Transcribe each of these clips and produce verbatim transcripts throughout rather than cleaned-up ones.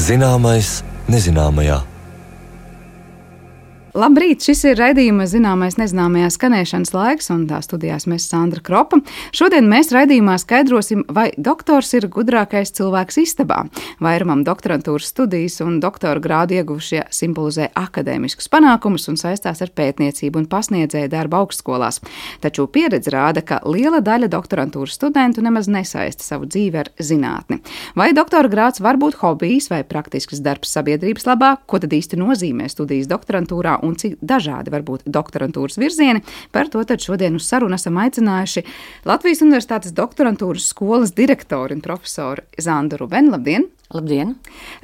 Zināmais nezināmajā. Labrīt! Šis ir raidījuma Zināmais nezināmajā skanēšanas laiks, un tā studijās mēs Sandra Kropa. Šodien mēs raidījumā skaidrosim, vai doktors ir gudrākais cilvēks istabā. Vairumam doktorantūras studijas un doktora grādu ieguvušie simbolizē akadēmiskus panākumus un saistās ar pētniecību un pasniedzēju darbu augstskolās. Taču pieredze rāda, ka liela daļa doktorantūras studentu nemaz nesaista savu dzīvi ar zinātni. Vai doktora grāds var būt hobijs vai praktisks darbs sabiedrības labā? Ko tad īsti nozīmē studijas doktorantūrā un cik dažādi var būt doktorantūras virzieni? Par to tad šodien uz sarunu esam aicinājuši Latvijas Universitātes doktorantūras skolas direktori un profesoru Zandu Rubeni. Labdien! Labdien!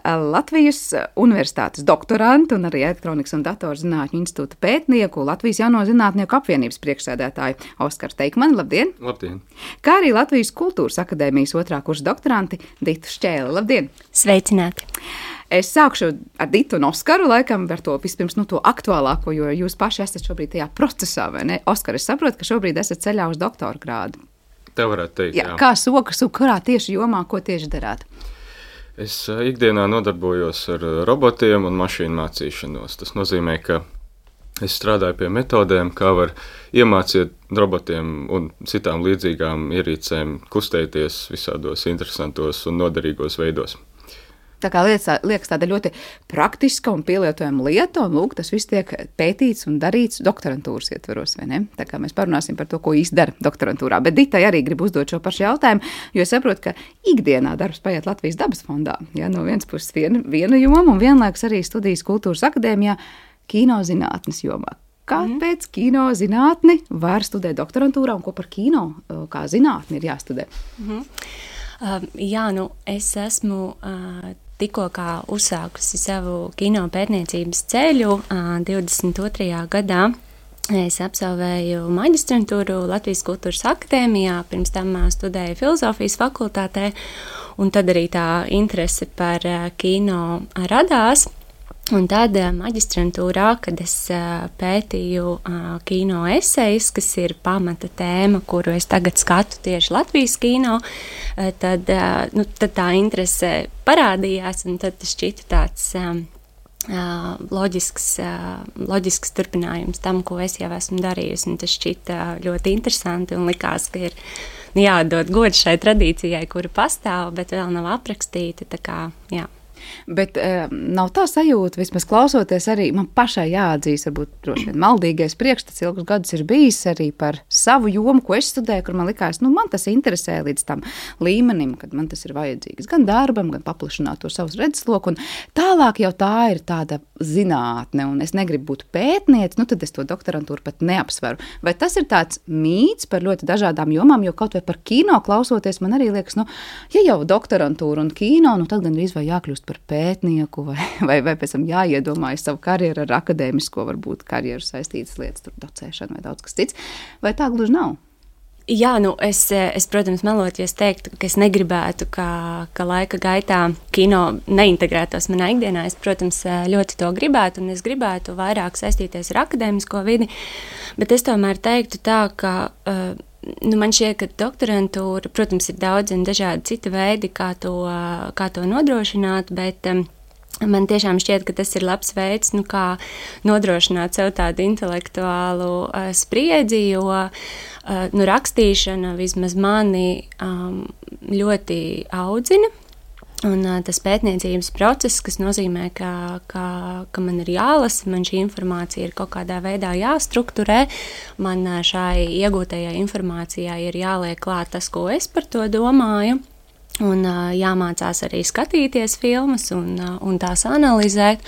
Latvijas Universitātes doktorantu un arī Elektronikas un datorzinātņu institūta pētnieku, Latvijas Jauno zinātnieku apvienības priekšsēdētāju Oskaru Teikmani. Labdien! Labdien! Kā arī Latvijas Kultūras akadēmijas otrā kursa doktoranti Ditu Šķēli. Labdien! Sveicināti! Es sākšu ar Ditu un Oskaru, laikam, ar to vispirms nu, to aktuālāko, jo jūs paši esat šobrīd tajā procesā, vai ne? Oskar, es saprotu, ka šobrīd esat ceļā uz doktora grādu. Tā varētu teikt, jā. jā. Kā sokas, un kurā tieši jomā, ko tieši darāt? Es ikdienā nodarbojos ar robotiem un mašīnu mācīšanos. Tas nozīmē, ka es strādāju pie metodēm, kā var iemācīt robotiem un citām līdzīgām ierīcēm kustēties visādos interesantos un noderīgos veidos. Tā kā liekas, liekas tāda ļoti praktiska un pielietojama lieta, un lūk, tas viss tiek pētīts un darīts doktorantūras ietveros, vai ne? Tā kā mēs parunāsim par to, ko īsti dara doktorantūrā. Bet Ditai arī grib uzdot šo pašu jautājumu, jo es saprotu, ka ikdienā darbs paiet Latvijas dabas fondā. Ja, no vienas puses viena, viena joma un vienlaikus arī studijas Kultūras akadēmijā kino zinātnes jomā. Kāpēc mm. kino zinātni var studēt doktorantūrā un ko par kino kā zinātni ir jāstudē? Mm. Uh, jā, nu es esmu uh, tikko kā uzsākusi savu kino pētniecības ceļu uh, divdesmit otrajā gadā. Es absolvēju maģistrantūru Latvijas Kultūras akadēmijā, pirms tam uh, studēju filozofijas fakultātē, un tad arī tā interese par uh, kino radās. Un tad maģistrantūrā, kad es pētīju kino esejas, kas ir pamata tēma, kuru es tagad skatu tieši Latvijas kino, tad, nu, tad tā interese parādījās, un tad tas šķita tāds loģisks, loģisks turpinājums tam, ko es jau esmu darījusi. Un tas šķita ļoti interesanti un likās, ka ir jādod gods šai tradīcijai, kura pastāv, bet vēl nav aprakstīta, tā kā, jā. Bet um, nav tā sajūta, vismaz klausoties arī, man pašai jāatzīst, varbūt droši vien maldīgais priekšstats ilgus gadus ir bijis arī par savu jomu, ko es studēju, kur man likās, nu man tas interesē līdz tam līmenim, kad man tas ir vajadzīgs gan darbam, gan paplašināt to savus redzesloku, un tālāk jau tā ir tāda zinātne, un es negribu būt pētniece, nu tad es to doktorantūru pat neapsveru. Vai tas ir tāds mīts par ļoti dažādām jomām, jo kaut vai par kino klausoties, man arī liekas, nu, ja jau doktorantūra un kino, nu tad gan drīz vai jākļūst par pētnieku, vai, vai, vai pēc tam jāiedomājas savu karjeru ar akadēmisko, varbūt karjeru saistītas lietas, tur docēšana vai daudz kas cits, vai tā gluži nav? Jā, nu es, es, protams, melot, ja es teiktu, ka es negribētu, ka, ka laika gaitā kino neintegrētos manā ikdienā. Es, protams, ļoti to gribētu, un es gribētu vairāk saistīties ar akadēmisko vidi, bet es tomēr teiktu tā, ka uh, nu, man šķiet, ka doktorantūra, protams, ir daudz un dažādi citi veidi, kā to, kā to nodrošināt, bet um, man tiešām šķiet, ka tas ir labs veids, nu, kā nodrošināt sev tādu intelektuālu uh, spriedzi, jo uh, nu, rakstīšana vismaz mani um, ļoti audzina. Un uh, tas pētniecības process, kas nozīmē, ka, ka, ka man ir jālasa, man šī informācija ir kaut kādā veidā jāstrukturē, man uh, šai iegūtajai informācijai ir jāliek klāt tas, ko es par to domāju, un uh, jāmācās arī skatīties filmas un, uh, un tās analizēt.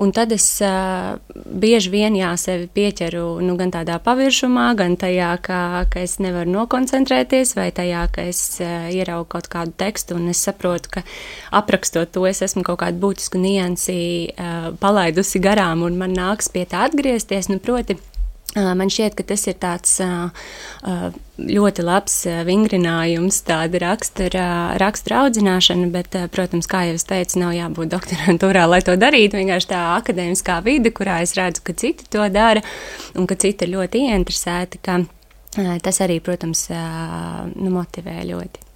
Un tad es uh, bieži vien jā, sevi pieķeru nu, gan tādā paviršumā, gan tajā, ka, ka es nevaru nokoncentrēties, vai tajā, ka es uh, ieraugu kaut kādu tekstu un es saprotu, ka aprakstot to, es esmu kaut kādu būtisku niansi uh, palaidusi garām un man nāks pie tā atgriezties. Nu, proti, Man šķiet, ka tas ir tāds ļoti labs vingrinājums, tāda rakstura, rakstura audzināšana, bet, protams, kā jau es teicu, nav jābūt doktorantūrā, lai to darītu. Vienkārši tā akadēmiskā vide, kurā es redzu, ka citi to dara un ka citi ir ļoti ieinteresēti, ka tas arī, protams, nu, motivē ļoti.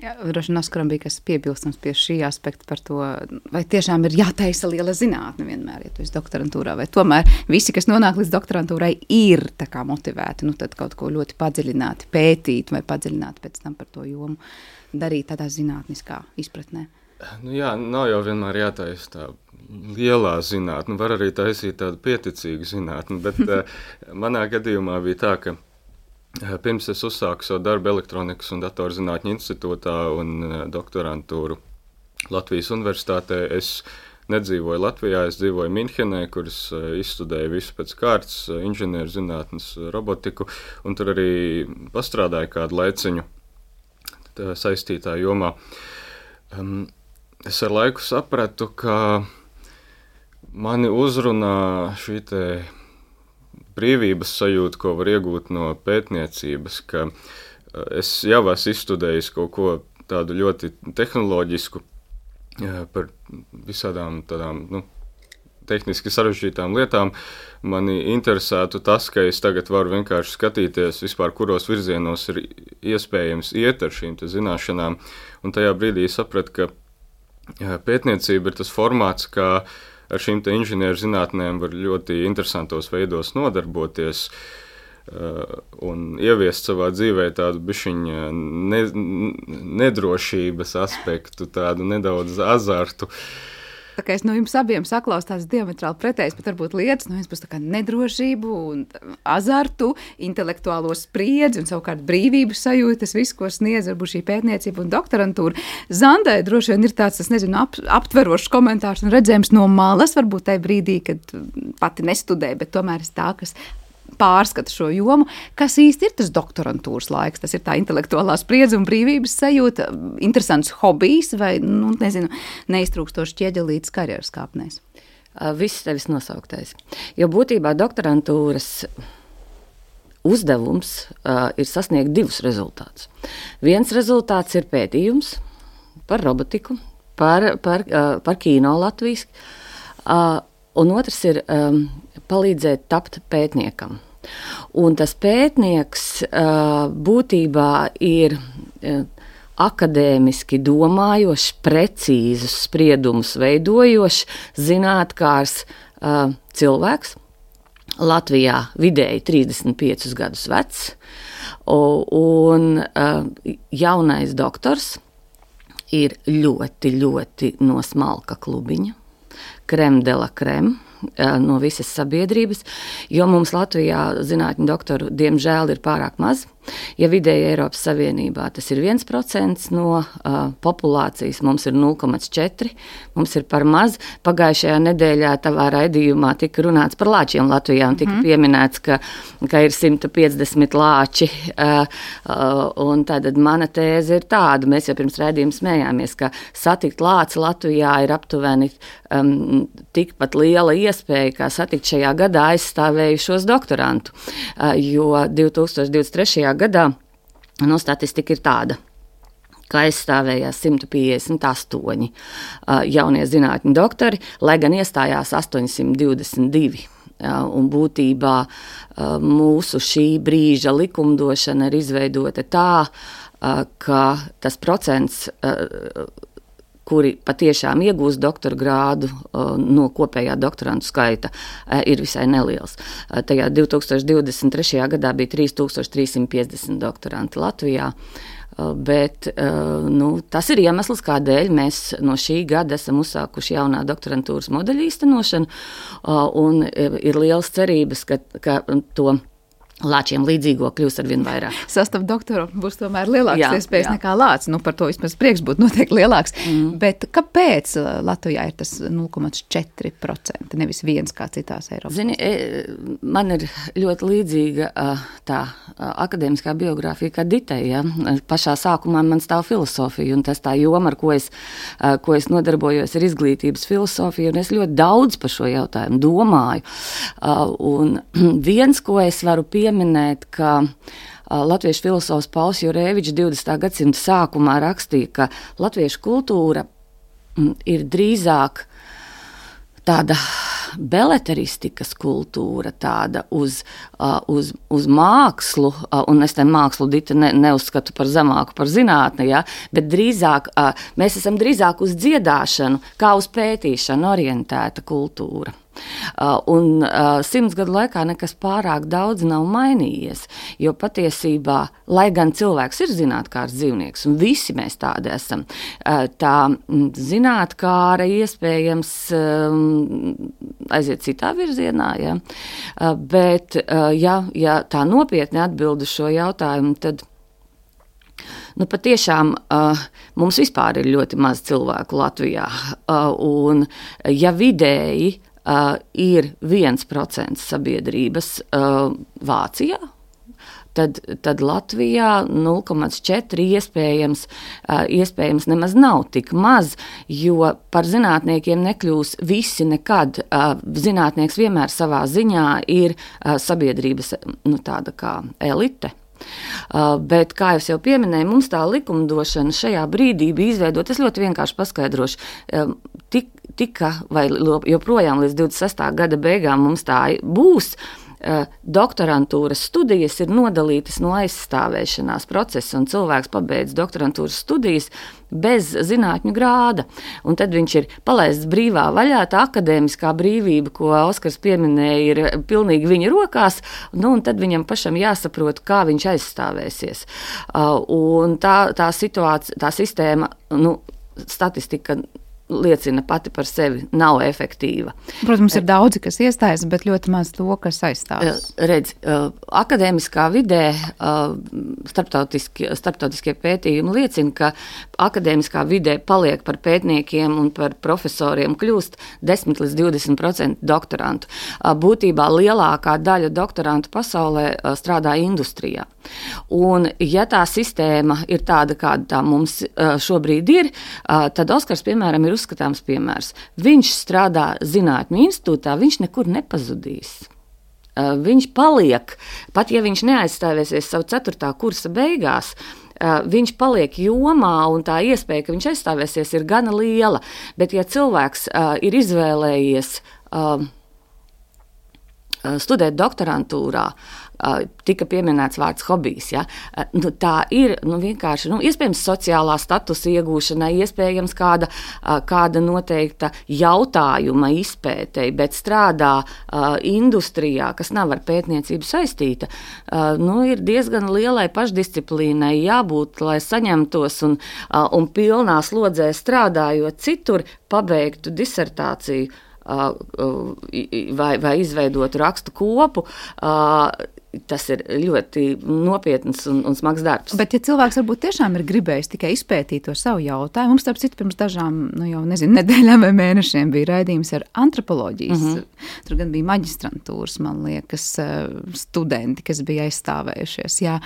Jā, droši vien Oskaram bija kas piebilstams pie šī aspekta par to, vai tiešām ir jātaisa liela zinātne vienmēr, ja tu esi doktorantūrā, vai tomēr visi, kas nonāk līdz doktorantūrai, ir tā kā motivēti, nu tad kaut ko ļoti padziļināti pētīt vai padziļināti pēc tam par to jomu darīt tādā zinātniskā izpratnē. Nu jā, nav jau vienmēr jātaisa tā lielā zinātne, var arī taisīt tādu pieticīgu zinātni, bet manā gadījumā bija tā, ka pirms es uzsāku savu darbu Elektronikas un datorzinātņu institūtā un doktorantūru Latvijas universitātē, es nedzīvoju Latvijā, es dzīvoju Minhenē, kur es izstudēju visu pēc kārtas, inženieru zinātnes, robotiku, un tur arī pastrādāju kādu laiciņu saistītā jomā. Um, es ar laiku sapratu, ka mani uzrunā šī te brīvības sajūta, ko var iegūt no pētniecības, ka es jau esmu izstudējis kaut ko tādu ļoti tehnoloģisku par visādām tādām, nu, tehniski sarežģītām lietām. Mani interesētu tas, ka es tagad varu vienkārši skatīties vispār, kuros virzienos ir iespējams iet ar šīm te zināšanām, un tajā brīdī sapratu, ka pētniecība ir tas formāts, kā ar šīm te inženieru zinātnēm var ļoti interesantos veidos nodarboties uh, un ieviest savā dzīvē tādu bišķiņu ne, nedrošības aspektu, tādu nedaudz azartu. Tā kā es no jums abiem saklaus tās diametrāli pretējas, bet varbūt lietas, no jums būs tā kā nedrošību un azartu, intelektuālo spriedzi un savukārt brīvības sajūta, tas viss, ko sniedz varbūt šī pētniecība un doktorantūra. Zandai droši vien ir tāds, es nezinu, ap, aptverošs komentārs un redzējums no malas, varbūt tajā brīdī, kad pati nestudē, bet tomēr es tā, kas pārskata šo jomu, kas īsti ir tas doktorantūras laiks, tas ir tā intelektuālā spriedze un brīvības sajūta, interesants hobijs vai, nu, nezinu, neiztrūkstoši ķieģelītas karjeras kāpnēs? Viss tevis nosauktais. Jo būtībā doktorantūras uzdevums uh, ir sasniegt divus rezultātus. Viens rezultāts ir pētījums par robotiku, par, par, uh, par kino Latvijas, uh, un otrs ir um, palīdzēt tapt pētniekam. Un tas pētnieks uh, būtībā ir uh, akadēmiski domājošs, precīzus spriedumus veidojošs, zinātkārs uh, cilvēks. Latvijā vidēji trīsdesmit piecus gadus vecs, un uh, jaunais doktors ir ļoti, ļoti no smalka klubiņa, krem de la krem, no visas sabiedrības, jo mums Latvijā zinātņu doktoru diemžēl ir pārāk maz. Ja vidēji Eiropas Savienībā tas ir viens procents no uh, populācijas, mums ir nulle komats četri, mums ir par maz. Pagājušajā nedēļā tavā raidījumā tika runāts par lāčiem Latvijā un tika mm. pieminēts, ka, ka ir simt piecdesmit lāči. Uh, uh, un tātad mana tēze ir tāda, mēs jau pirms raidījuma smējāmies, ka satikt lāci Latvijā ir aptuveni um, tikpat liela iespēja, kā satikt šajā gadā aizstāvējušos doktorantu, uh, jo divi tūkstoši divdesmit trešajā gadā no statistika ir tāda, ka aizstāvējās simt piecdesmit astoņi uh, jaunie zinātņu doktori, lai gan iestājās astoņsimt divdesmit divi. Uh, un būtībā uh, mūsu šī brīža likumdošana ir izveidota tā, uh, ka tas procents, uh, kuri patiešām iegūst doktora grādu uh, no kopējā doktorantu skaita, uh, ir visai neliels. Uh, tajā divi tūkstoši divdesmit trešajā gadā bija trīs tūkstoši trīs simt piecdesmit doktoranti Latvijā, uh, bet uh, nu, tas ir iemesls, kādēļ mēs no šī gada esam uzsākuši jaunā doktorantūras modeļa īstenošanu, uh, un uh, ir liels cerības, ka, ka to lāčiem līdzīgo kļūs arvien vairāk. Sastāv doktoru būs tomēr lielāks jā, iespējas jā. nekā lācis. Nu, par to vismaz prieks būtu noteikti lielāks. Mm. Bet kāpēc Latvijā ir tas nulle komats četri procenti, nevis viens kā citās Eiropas? Zini, man ir ļoti līdzīga tā akadēmiskā biogrāfija kā Ditei. Ja? Pašā sākumā man stāv filosofija, un tas tā joma, ar ko es, ko es nodarbojos, ir izglītības filosofija, un es ļoti daudz par šo jautājumu domāju. Un viens, ko es varu pieminēt, minēt, ka uh, latviešu filosofs Pauls Jurēvičs divdesmitā gadsimta sākumā rakstīja, ka latviešu kultūra mm, ir drīzāk tāda beleteristikas kultūra, tāda uz, uh, uz, uz mākslu, uh, un es te mākslu Dita ne, neuzskatu par zemāku par zinātni, ja, bet drīzāk, uh, mēs esam drīzāk uz dziedāšanu, kā uz pētīšanu orientēta kultūra. Uh, un uh, simts gadu laikā nekas pārāk daudz nav mainījies, jo patiesībā, lai gan cilvēks ir zinātkārs dzīvnieks, un visi mēs tādi esam, uh, tā zinātkāra iespējams um, aiziet citā virzienā, ja? uh, bet uh, ja, ja tā nopietni atbild uz šo jautājumu, tad Nu, patiešām uh, mums vispār ir ļoti maz cilvēku Latvijā, uh, un ja vidēji uh, ir viens procents sabiedrības uh, Vācijā, tad, tad Latvijā nulle komats četri iespējams, uh, iespējams nemaz nav tik maz, jo par zinātniekiem nekļūs visi nekad. Uh, zinātnieks vienmēr savā ziņā ir uh, sabiedrības nu, tāda kā elite. Uh, bet, kā jau pieminēju, mums tā likumdošana šajā brīdī bija izveidota, es ļoti vienkārši paskaidrošu, um, tik, tika vai joprojām līdz divdesmit sestā gada beigām mums tā būs. Uh, doktorantūras studijas ir nodalītas no aizstāvēšanās procesa, un cilvēks pabeidz doktorantūras studijas bez zinātņu grāda. Un tad viņš ir palaists brīvā vaļā, tā akadēmiskā brīvība, ko Oskars pieminēja, ir pilnīgi viņa rokās, nu, un tad viņam pašam jāsaprot, kā viņš aizstāvēsies. Uh, un tā, tā situācija, tā sistēma, nu, statistika liecina pati par sevi, nav efektīva. Protams, ir daudzi, kas iestājas, bet ļoti maz to, kas aizstājas. Redz, akadēmiskā vidē starptautiskie, starptautiskie pētījumi liecina, ka akadēmiskā vidē paliek par pētniekiem un par profesoriem kļūst desmit līdz divdesmit procenti doktorantu. Būtībā lielākā daļa doktorantu pasaulē strādā industrijā. Un, ja tā sistēma ir tāda, kāda tā mums šobrīd ir, tad Oskars, piemēram, ir uzskatāms piemērs. Viņš strādā zinātņu institūtā, viņš nekur nepazudīs. Viņš paliek, pat ja viņš neaizstāvēsies savu ceturtā kursa beigās, viņš paliek jomā, un tā iespēja, ka viņš aizstāvēsies, ir gana liela. Bet, ja cilvēks ir izvēlējies studēt doktorantūrā, tika pieminēts vārds hobijs. Ja? Nu, tā ir nu, vienkārši nu, iespējams sociālā statusa iegūšanai, iespējams kāda, kāda noteikta jautājuma izpētei, bet strādā uh, industrijā, kas nav ar pētniecību saistīta, uh, nu, ir diezgan lielai pašdisciplīnai jābūt, lai saņemtos un, uh, un pilnā slodzē strādājot citur, pabeigtu disertāciju uh, uh, vai, vai izveidotu rakstu kopu. Uh, Tas ir ļoti nopietns un, un smags darbs. Bet, ja cilvēks varbūt tiešām ir gribējis tikai izpētīt to savu jautājumu, mums starp citu pirms dažām, nu jau nezinu, nedēļām vai mēnešiem bija raidījums ar antropoloģijas. Mm-hmm. Tur gan bija maģistrantūras, man liekas, studenti, kas bija aizstāvējušies. Jā.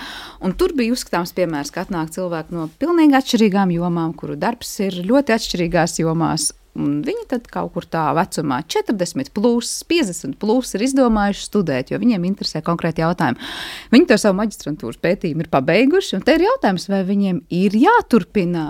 Un tur bija uzskatāms piemērs, ka atnāk cilvēki no pilnīgi atšķirīgām jomām, kuru darbs ir ļoti atšķirīgās jomās. Un viņi tad kaut kur tā vecumā četrdesmit plus, piecdesmit plus ir izdomājuši studēt, jo viņiem interesē konkrēti jautājumi. Viņi to savu maģistrantūras pētījumu ir pabeiguši, un te ir jautājums, vai viņiem ir jāturpina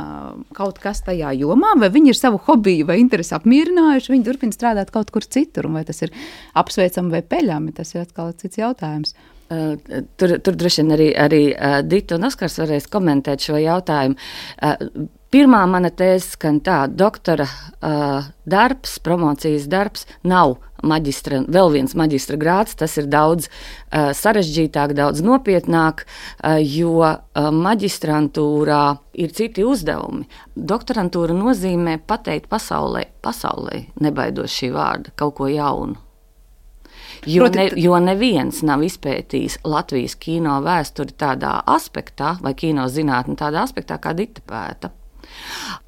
kaut kas tajā jomā, vai viņi ir savu hobiju vai interesi apmierinājuši, viņi turpina strādāt kaut kur citur, un vai tas ir apsveicami vai peļami, tas ir atkal cits jautājums. Uh, tur, tur droši vien arī, arī uh, Dita un Oskars varēs komentēt šo jautājumu. Uh, Pirmā mana tēze skan tā, doktora uh, darbs, promocijas darbs nav maģistra, vēl viens maģistra grāds, tas ir daudz uh, sarežģītāk, daudz nopietnāk, uh, jo uh, maģistrantūrā ir citi uzdevumi. Doktorantūra nozīmē pateikt pasaulē, pasaulē nebaidos šī vārda, kaut ko jaunu. Jo, ne, jo neviens nav izpētījis Latvijas kino vēsturi tādā aspektā, vai kino zinātni tādā aspektā, kā Dita pēta.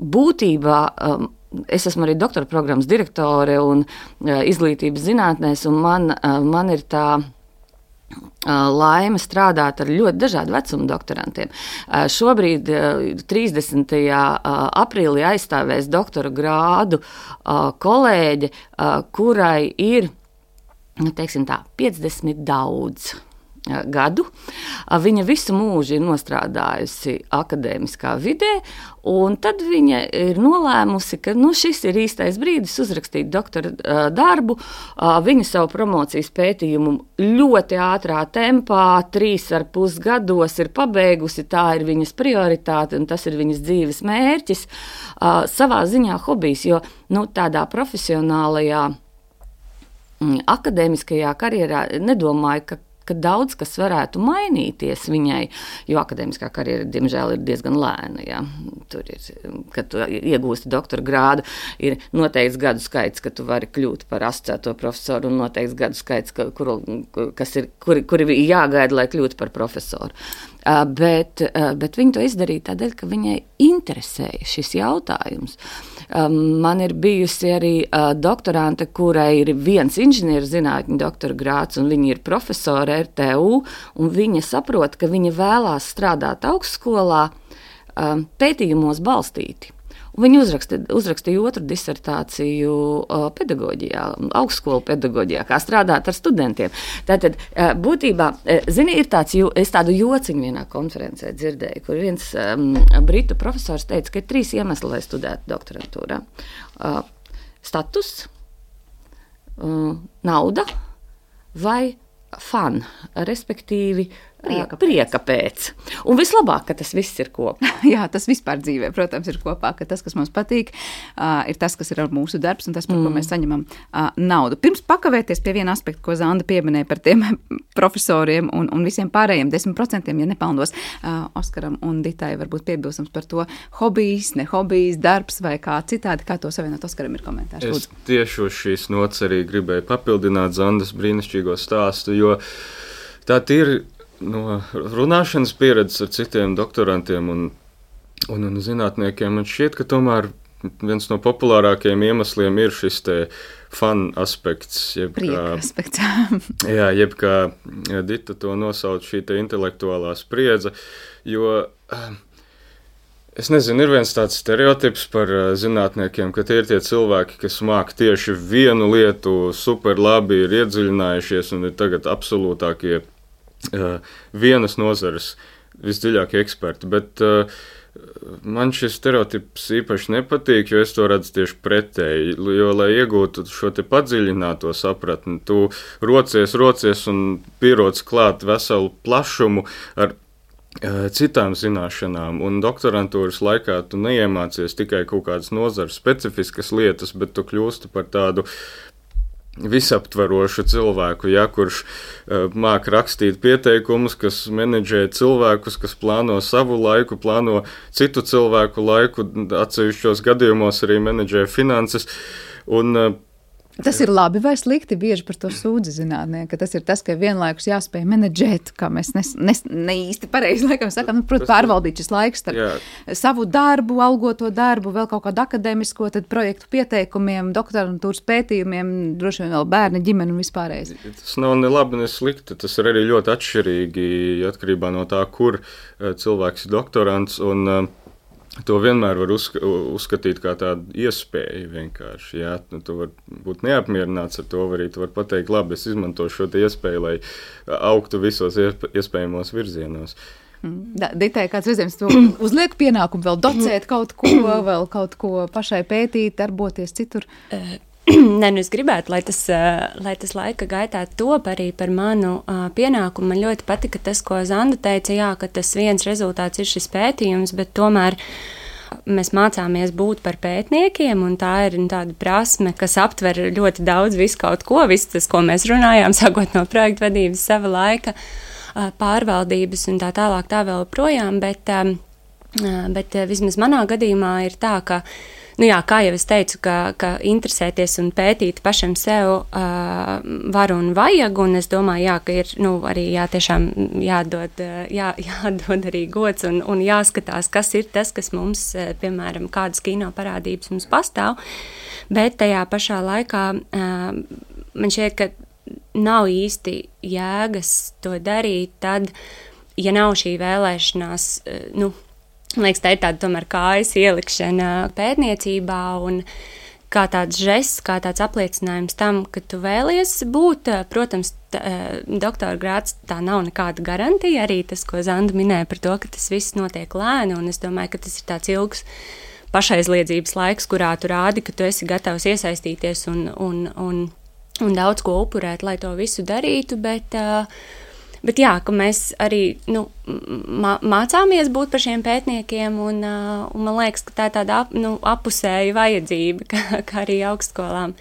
Būtībā um, es esmu arī doktora programmas direktore un uh, izglītības zinātnēs, un man, uh, man ir tā uh, laime strādāt ar ļoti dažādu vecumu doktorantiem. Uh, šobrīd uh, trīsdesmitajā Uh, aprīlī aizstāvēs doktora grādu uh, kolēģe, uh, kurai ir, nu, teiksim tā, piecdesmit daudz. gadu. Viņa visu mūžu ir nostrādājusi akadēmiskā vidē, un tad viņa ir nolēmusi, ka nu, šis ir īstais brīdis uzrakstīt doktora darbu. Viņa savu promocijas pētījumu ļoti ātrā tempā, trīs ar pus gados ir pabeigusi, tā ir viņas prioritāte, un tas ir viņas dzīves mērķis. Savā ziņā hobijs, jo nu, tādā profesionālajā, akadēmiskajā karjerā nedomāju, ka ka daudz kas varētu mainīties viņai, jo akadēmiskā karjera, diemžēl, ir diezgan lēna. Ja? Tur ir, kad tu iegūsti doktora grādu, ir noteikts gadu skaits, ka tu vari kļūt par asociēto profesoru, un noteikts gadu skaits, ka, kur, kas ir, kuri, kuri ir jāgaida, lai kļūtu par profesoru. Uh, bet, uh, bet viņa to izdarīja tādēļ, ka viņai interesēja šis jautājums. Um, man ir bijusi arī uh, doktorante, kurai ir viens inženieru zinātņu doktora grāds, un viņa ir profesora R T U, un viņa saprot, ka viņa vēlās strādāt augstskolā um, pētījumos balstīti. Viņa uzrakstīja, uzrakstīja otru disertāciju uh, pedagoģijā, augstskolu pedagoģijā, kā strādāt ar studentiem. Tātad, uh, būtībā, uh, zini, ir tāds, es tādu jociņu vienā konferencē dzirdēju, kur viens um, britu profesors teica, ka ir trīs iemesli, lai studētu doktorantūrā. Uh, status, uh, nauda vai fun, respektīvi prieka pēc. prieka pēc. Un vislabāk, ka tas viss ir kopā. Jā, tas vispār dzīvē, protams, ir kopā, ka tas, kas mums patīk, uh, ir tas, kas ir ar mūsu darbs un tas, par mm. ko mēs saņemam uh, naudu. Pirms pakavēties pie viena aspekta, ko Zanda pieminēja par tiem profesoriem un, un visiem pārējiem desmit procentiem, ja nepelnos, uh, Oskaram un Ditai varbūt piebilstams par to hobijs, ne hobijs, darbs vai kā citādi, kā to savienot. Oskaram ir komentārs. Es Lūdzu. tieši uz šīs nots arī gribēju papildināt Zandas brīnišķīgo stāstu, jo tā ir no runāšanas pieredzes ar citiem doktorantiem un, un, un zinātniekiem. Man šķiet, ka tomēr viens no populārākajiem iemesliem ir šis te fun aspekts. Jeb Prieka kā, aspekts. jā, jeb kā Dita to nosauc, šī te intelektuālā spriedze, jo es nezinu, ir viens tāds stereotips par zinātniekiem, ka tie ir tie cilvēki, kas māk tieši vienu lietu super labi, ir iedziļinājušies un ir tagad absolūtākie Uh, vienas nozares visdziļākie eksperti, bet uh, man šis stereotips īpaši nepatīk, jo es to redzu tieši pretēji, jo, lai iegūtu šo te padziļināto sapratni, tu rocies, rocies un pieroc klāt veselu plašumu ar uh, citām zināšanām, un doktorantūras laikā tu neiemācies tikai kaut kādas nozares specifiskas lietas, bet tu kļūsti par tādu visaptvarošu cilvēku, ja, kurš uh, māk rakstīt pieteikumus, kas menedžē cilvēkus, kas plāno savu laiku, plāno citu cilvēku laiku, atsevišķos gadījumos arī menedžē finanses. Un, uh, Tas ir labi vai slikti? Bieži par to sūdzi zinātnieki, ka tas ir tas, ka vienlaikus jāspēj menedžēt, kā mēs ne, ne, ne īsti pareizi laikam sakām, nu, protams, pārvaldīt šis laiks starp jā. savu darbu, algoto darbu, vēl kaut kādu akadēmisko, tad projektu pieteikumiem, doktorantūras pētījumiem, droši vien vēl bērni, ģimeni un vispārējais. Tas nav ne labi, ne slikti, tas ir arī ļoti atšķirīgi atkarībā no tā, kur cilvēks ir doktorants, un to vienmēr var uzska- uzskatīt kā tādu iespēju vienkārši. Jā, nu, tu var būt neapmierināts ar to, arī tu var pateikt, labi, es izmantošu šo te iespēju, lai augtu visos iespējamos virzienos. Da, Ditai, kāds virziens tu uzliek pienākumu vēl docēt kaut ko, vēl kaut ko pašai pētīt, darboties citur? Nē, nu es gribētu, lai tas, lai tas laika gaitā top arī par manu uh, pienākumu. Man ļoti patika tas, ko Zanda teica, jā, ka tas viens rezultāts ir šis pētījums, bet tomēr mēs mācāmies būt par pētniekiem, un tā ir tāda prasme, kas aptver ļoti daudz visu kaut ko, visu tas, ko mēs runājām, sākot no projektu vadības, sava laika, uh, pārvaldības un tā tālāk tā vēl projām, bet, um, uh, bet uh, vismaz manā gadījumā ir tā, ka Nu jā, kā jau es teicu, ka, ka interesēties un pētīt pašam sev uh, var un vajag, un es domāju, jā, ka ir nu, arī jā, tiešām jādod, jā, jādod arī gods un, un jāskatās, kas ir tas, kas mums, piemēram, kādas kino parādības mums pastāv, bet tajā pašā laikā uh, man šķiet, ka nav īsti jēgas to darīt tad, ja nav šī vēlēšanās, uh, nu, liekas, tā ir tāda tomēr kājas ielikšana pētniecībā, un kā tāds žests, kā tāds apliecinājums tam, ka tu vēlies būt. Protams, t, doktora grāds tā nav nekāda garantija, arī tas, ko Zanda minēja par to, ka tas viss notiek lēni, un es domāju, ka tas ir tāds ilgs pašaizliedzības laiks, kurā tu rādi, ka tu esi gatavs iesaistīties un, un, un, un daudz ko upurēt, lai to visu darītu, bet... Bet jā, ka mēs arī nu, mācāmies būt par šiem pētniekiem, un, un man liekas, ka tā ir tāda ap, nu, apusēja vajadzība, ka, ka arī augstskolām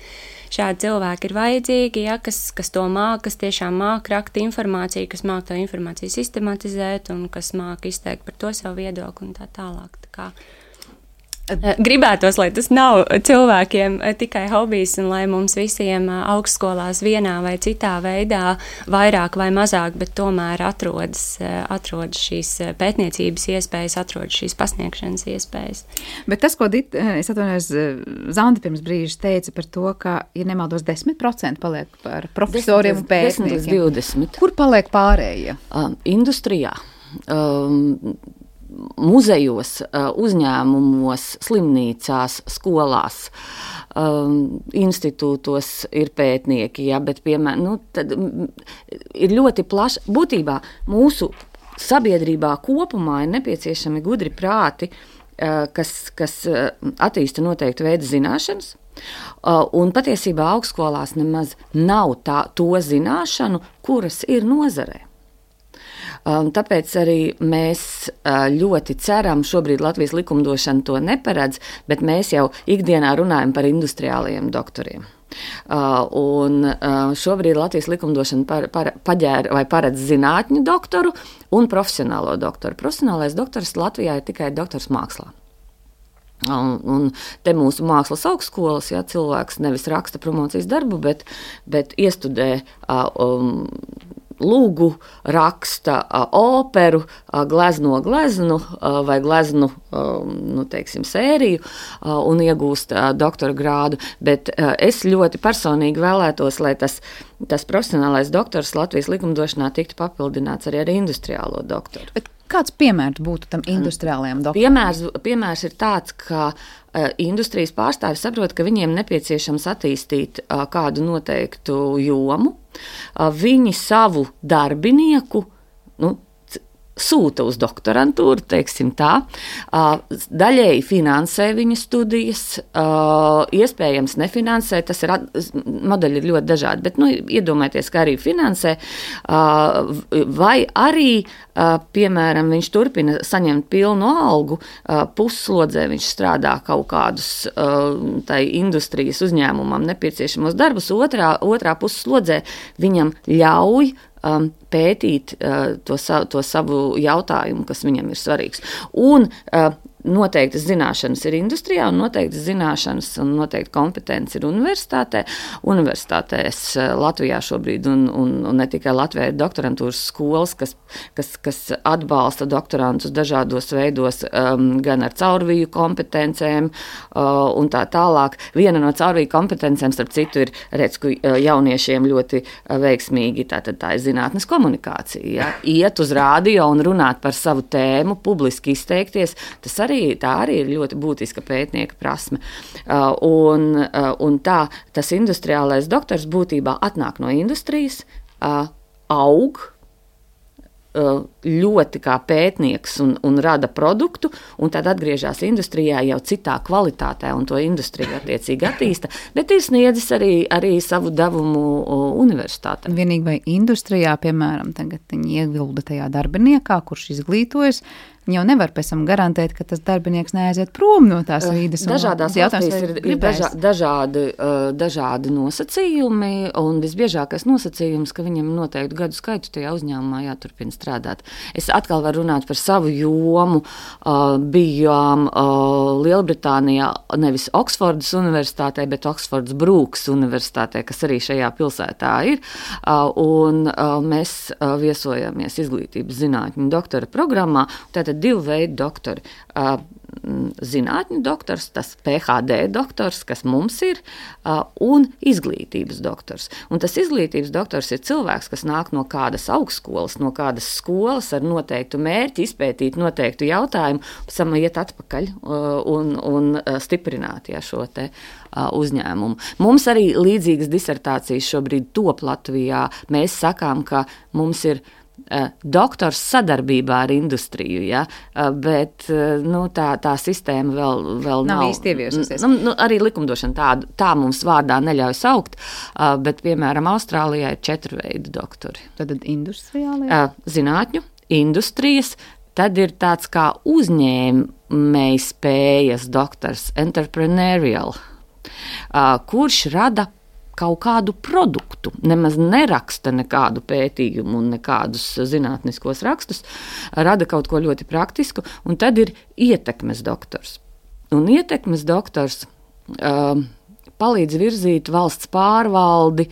šādi cilvēki ir vajadzīgi, ja, kas, kas to māk, kas tiešām māk rakt informāciju, kas māk to informāciju sistematizēt un kas māk izteikt par to savu viedokli un tā tālāk. Tā kā gribētos, lai tas nav cilvēkiem tikai hobijs un lai mums visiem augstskolās vienā vai citā veidā vairāk vai mazāk, bet tomēr atrodas, atrodas šīs pētniecības iespējas, atrodas šīs pasniegšanas iespējas. Bet tas, ko Dit, es atvainojos, Zanda pirms brīža teica par to, ka, ja nemaldos, desmit procenti paliek par profesoriem un pētniekiem. desmit līdz divdesmit. Kur paliek pārējie? Um, industrijā. Um, muzejos, uzņēmumos, slimnīcās, skolās, um, institūtos ir pētnieki, ja, bet piemēram, nu, tad ir ļoti plaši, būtībā mūsu sabiedrībā kopumā ir nepieciešami gudri prāti, kas, kas attīsta noteiktu veidu zināšanas, un patiesībā augstskolās nemaz nav tā, to zināšanu, kuras ir nozarē. Tāpēc arī mēs ļoti ceram, šobrīd Latvijas likumdošana to neparedz, bet mēs jau ikdienā runājam par industriālajiem doktoriem. Un šobrīd Latvijas likumdošana par, par, paģēra vai paredz zinātņu doktoru un profesionālo doktoru. Profesionālais doktors Latvijā ir tikai doktors mākslā. Un, un te mūsu mākslas augstskolas, ja, cilvēks nevis raksta promocijas darbu, bet, bet iestudē um, lūgu, raksta uh, operu, uh, glezno gleznu uh, vai gleznu uh, nu, teiksim, sēriju uh, un iegūst uh, doktora grādu. Bet uh, es ļoti personīgi vēlētos, lai tas, tas profesionālais doktors Latvijas likumdošanā tiktu papildināts arī ar industriālo doktoru. Bet kāds piemērs būtu tam industriālajam doktoram? Piemērs, piemērs ir tāds, ka uh, industrijas pārstāvi saprot, ka viņiem nepieciešams attīstīt uh, kādu noteiktu jomu. Uh, viņi savu darbinieku, nu, sūta uz doktorantūru, teiksim tā, daļēji finansē viņa studijas, iespējams nefinansē, tas ir, modeļi ir ļoti dažādi, bet, nu, iedomājieties, ka arī finansē, vai arī, piemēram, viņš turpina saņemt pilnu algu, pusslodzē viņš strādā kaut kādus tai industrijas uzņēmumam nepieciešamos darbus, otrā, otrā pusslodzē viņam ļauj Um, pētīt uh, to, sa, to savu jautājumu, kas viņam ir svarīgs. Un uh, noteiktas zināšanas ir industrijā, un noteiktas zināšanas un noteikti kompetence ir universitātē. Universitātēs uh, Latvijā šobrīd, un, un, un ne tikai Latvijā, ir doktorantūras skolas, kas, kas, kas atbalsta doktorantus dažādos veidos, um, gan ar caurviju kompetencēm uh, un tā tālāk. Viena no caurviju kompetencēm, starp citu, ir redz, ka uh, jauniešiem ļoti uh, veiksmīgi, tātad tā ir zinātnes komunikācija. Ja? Iet uz rādio un runāt par savu tēmu, publiski izteikties, tas arī, tā arī ir ļoti būtiska pētnieka prasme. Uh, un, uh, un tā, tas industriālais doktors būtībā atnāk no industrijas, uh, aug, ļoti kā pētnieks un, un rada produktu, un tad atgriežas industrijā jau citā kvalitātē, un to industrija attiecīgi attīsta, bet ir sniedzis arī, arī savu devumu universitātē. Vienīgi vai industrijā, piemēram, tagad viņi iegulda tajā darbiniekā, kurš izglītojas, jau nevar pēc tam garantēt, ka tas darbinieks neaiziet prom no tās vīdes. Dažādās valstīs ir, ir dažā, dažādi, dažādi nosacījumi, un visbiežākais nosacījums, ka viņam noteikti gadu skaitu tajā uzņēmumā jāturpina strādāt. Es atkal varu runāt par savu jomu. Bijām Lielbritānijā nevis Oksfordas universitātē, bet Oksfordas Brūks universitātē, kas arī šajā pilsētā ir, un mēs viesojamies izglītības zinātņu doktora programmā. Tātad divu veidu doktori. zinātņu doktors, tas P H D doktors, kas mums ir, un izglītības doktors. Un tas izglītības doktors ir cilvēks, kas nāk no kādas augstskolas, no kādas skolas ar noteiktu mērķi, izpētīt noteiktu jautājumu, pēc tam iet atpakaļ un, un stiprināt ja, šo te uzņēmumu. Mums arī līdzīgas disertācijas šobrīd top Latvijā. Mēs sakām, ka mums ir uh, doktors sadarbībā ar industriju, ja? uh, bet uh, nu, tā, tā sistēma vēl, vēl nav. Nav īsti ieviesusies. Nu, nu, arī likumdošana tā, tā mums vārdā neļauj saukt, uh, bet, piemēram, Austrālijā ir četru veidu doktori. Tad industriālie? Uh, zinātņu, industrijas, tad ir tāds kā uzņēmēji spējas doktors, entrepreneurial, uh, kurš rada kaut kādu produktu, nemaz neraksta nekādu pētījumu un nekādus zinātniskos rakstus, rada kaut ko ļoti praktisku, un tad ir ietekmes doktors. Un ietekmes doktors uh, palīdz virzīt valsts pārvaldi,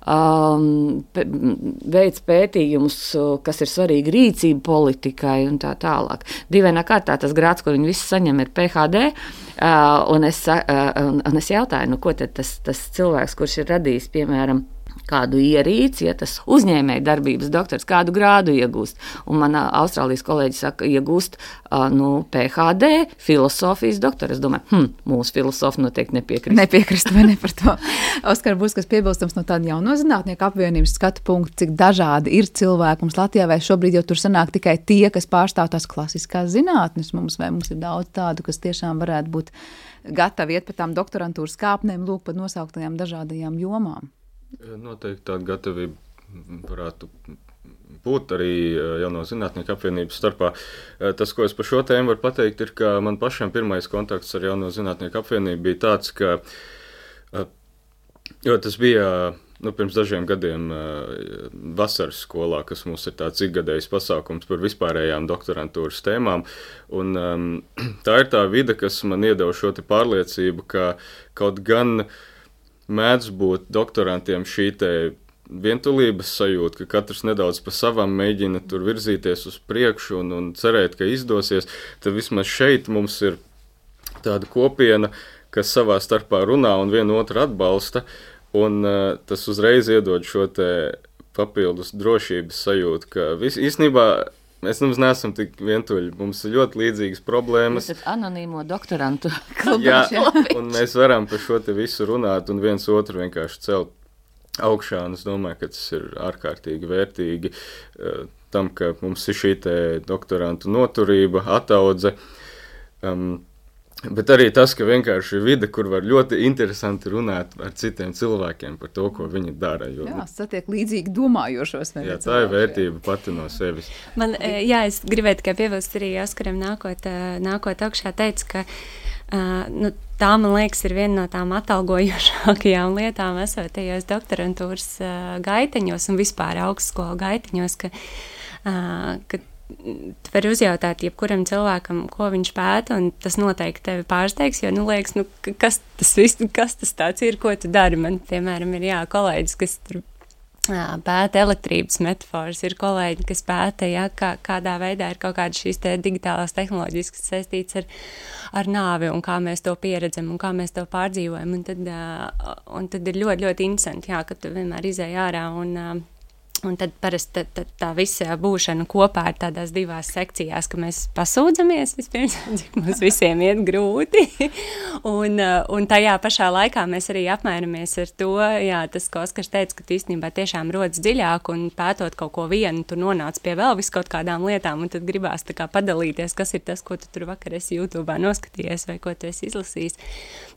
um, veids pētījumus, kas ir svarīgi rīcību politikai un tā tālāk. Dīvainā kārtā tas grāds, ko viņi visi saņem, ir P H D, uh, un, es, uh, un, un es jautāju, nu, ko tad tas, tas cilvēks, kurš ir radījis, piemēram, kādu ierīci, ja tas uzņēmēja darbības doktors, kādu grādu iegūst. Un man Austrālijas kolēģi saka, iegūst uh, nu, P H D, filosofijas doktora. Es domāju, hm, mūsu filosofi noteikti nepiekrist. Nepiekrist vai ne par to. Oskar, būs kas piebilstams no tāda jauno zinātnieku apvienības skatu punktu, cik dažādi ir cilvēki mums Latvijā, vai šobrīd jau tur sanāk tikai tie, kas pārstāv tās klasiskās zinātnes mums, vai mums ir daudz tādu, kas tiešām varētu būt gatavi iet pa tām doktorantūras kāpnēm, lūk, pa nosauktajām dažādajām jomām. Noteikti tāda gatavība varētu būt arī jauno zinātnieku apvienības starpā. Tas, ko es par šo tēmu varu pateikt, ir, ka man pašam pirmais kontakts ar jauno zinātnieku apvienību bija tāds, ka, jo tas bija nu, pirms dažiem gadiem vasaras skolā, kas mums ir tāds ikgadējs pasākums par vispārējām doktorantūras tēmām, un um, tā ir tā vide, kas man iedeva šo te pārliecību, ka kaut gan mēdz būt doktorantiem šī te vientulības sajūta, ka katrs nedaudz pa savam mēģina tur virzīties uz priekšu un, un cerēt, ka izdosies, tad vismaz šeit mums ir tāda kopiena, kas savā starpā runā un vienu otru atbalsta, un uh, tas uzreiz iedod šo te papildus drošības sajūtu, ka vis, īstenībā mēs nemaz neesam tik vientuļi. Mums ir ļoti līdzīgas problēmas. Jūs esat anonīmo doktorantu klubā. Jā, un mēs varam par šo te visu runāt un viens otru vienkārši celt augšā. Un es domāju, ka tas ir ārkārtīgi vērtīgi uh, tam, ka mums ir šī te doktorantu noturība, ataudze. Um, Bet arī tas, ka vienkārši ir vide, kur var ļoti interesanti runāt ar citiem cilvēkiem par to, ko viņi dara. Jo, jā, satiek līdzīgi domājošos. Jā, tā ir vērtība pati no sevis. Man, jā, es gribēju tikai piebilst arī Oskaram nākot, nākot augšā teica, ka uh, nu, tā, man liekas, ir viena no tām atalgojošākajām lietām esotajos doktorantūras uh, gaiteņos un vispār augstskolu gaiteņos, ka, uh, ka tu vari uzjautāt jebkuram cilvēkam, ko viņš pēta, un tas noteikti tevi pārsteigs, jo, nu, liekas, nu, kas tas viss, kas tas tāds ir, ko tu dari. Man, piemēram, ir, jā, kolēģis, kas tur jā, pēta elektrības metaforas, ir kolēģi, kas pēta, jā, kā, kādā veidā ir kaut kādas šīs te digitālās tehnoloģijas, kas saistīts ar, ar nāvi, un kā mēs to pieredzam, un kā mēs to pārdzīvojam, un tad, un tad ir ļoti, ļoti interesanti, jā, ka tu vienmēr izēj ārā, un Un tad parasti tā, tā, tā visa būšana kopā ir tādās divās sekcijās, ka mēs pasūdzamies vispirms, cik mums visiem iet grūti, un, un tajā pašā laikā mēs arī apmainamies ar to, jā, tas, ko Oskars teica, ka tu īstenībā tiešām rodas dziļāk, un pētot kaut ko vienu, tu nonāc pie vēl vis kaut kādām lietām, un tad gribās tā kā padalīties, kas ir tas, ko tu tur vakar esi YouTube'ā noskatījies, vai ko tu esi izlasījis.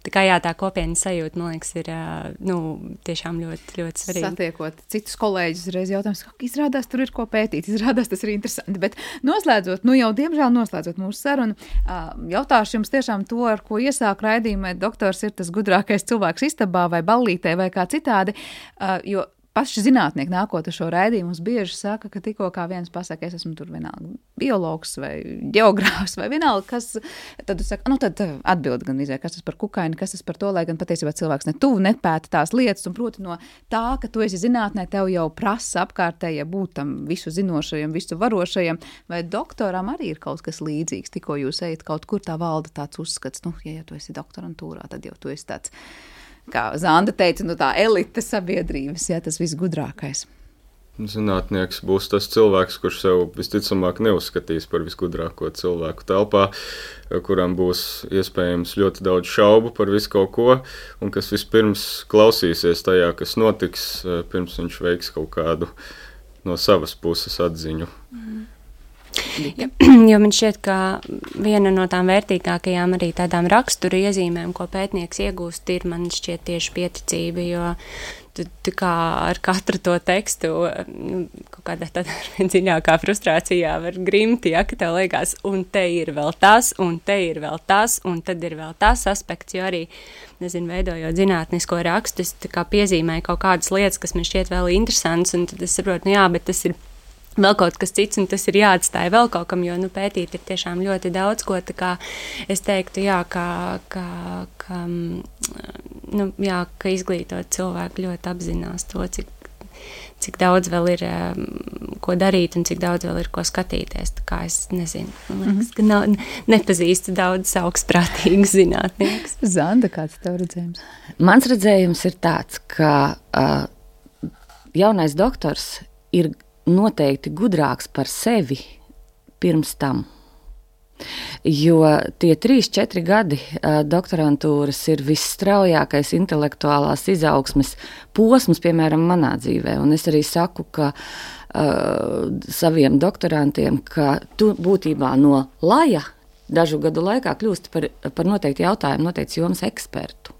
Tā kā jā, tā kopienas sajūta, man liekas, ir, nu, tiešām ļoti, ļoti svarīga. Satiekot citus kolēģus, reiz jautājums, ka izrādās, tur ir ko pētīt, izrādās, tas ir interesanti, bet noslēdzot, nu jau diemžēl noslēdzot mūsu sarunu, jautāšu jums tiešām to, ar ko iesāk raidījumā, doktors ir tas gudrākais cilvēks istabā vai ballītē vai kā citādi, jo paši zinātnieki nākot uz šo raidījumu, mums bieži saka, ka tikko kā viens pasaka, es esmu tur vienalga biologs vai ģeogrāfs vai vienalga, kas, tad tu saka, nu tad atbild gan izvēr, kas tas par kukaini, kas tas par to, lai gan patiesībā cilvēks ne tuvu nepēta tās lietas, un proti no tā, ka tu esi zinātnē, tev jau prasa apkārtējie būt tam visu zinošajam, visu varošajam, vai doktoram arī ir kaut kas līdzīgs, tikko jūs ejat kaut kur tā valda tāds uzskats, nu, ja, ja tu esi doktorantūrā, tad jau tu esi tāds, kā Zanda teica, nu tā elite sabiedrības, jā, tas viss gudrākais. Zinātnieks būs tas cilvēks, kurš sev visticamāk neuzskatīs par visgudrāko cilvēku telpā, kuram būs iespējams ļoti daudz šaubu par visu kaut ko, un kas vispirms klausīsies tajā, kas notiks, pirms viņš veiks kaut kādu no savas puses atziņu. Mm. Ja, jo man šķiet, ka viena no tām vērtīgākajām arī tādām rakstura iezīmēm, ko pētnieks iegūst, ir man šķiet tieši pieticība, jo tu, tu kā ar katru to tekstu nu, kaut kādā tādā dziļākā frustrācijā var grimti, ja, ka tev liekas, un te ir vēl tas, un te ir vēl tas, un tad ir vēl tas aspekts, jo arī, nezinu, veidojot zinātnisko rakstu, es tā kā piezīmēju kaut kādas lietas, kas man šķiet vēl interesants, un tad es saprotu, nu jā, bet tas ir vēl kaut kas cits, un tas ir jāatstāja vēl kaut kam, jo, nu, pētīt ir tiešām ļoti daudz, ko tā kā es teiktu, jā, ka, ka, ka, nu, jā, ka izglītot cilvēku ļoti apzinās to, cik, cik daudz vēl ir ko darīt un cik daudz vēl ir ko skatīties. Tā kā es nezinu, man liekas, ka nav, nepazīstu daudz augstprātīgus zinātniekus. Zanda, kāds tev redzējums? Mans redzējums ir tāds, ka uh, jaunais doktors ir noteikti gudrāks par sevi pirms tam. Jo tie trīs, četri gadi uh, doktorantūras ir visstraujākais intelektuālās izaugsmes posms, piemēram, manā dzīvē. Un es arī saku, ka uh, saviem doktorantiem, ka tu būtībā no laja dažu gadu laikā kļūsti par, par noteikti jautājumu, noteikti jomas ekspertu.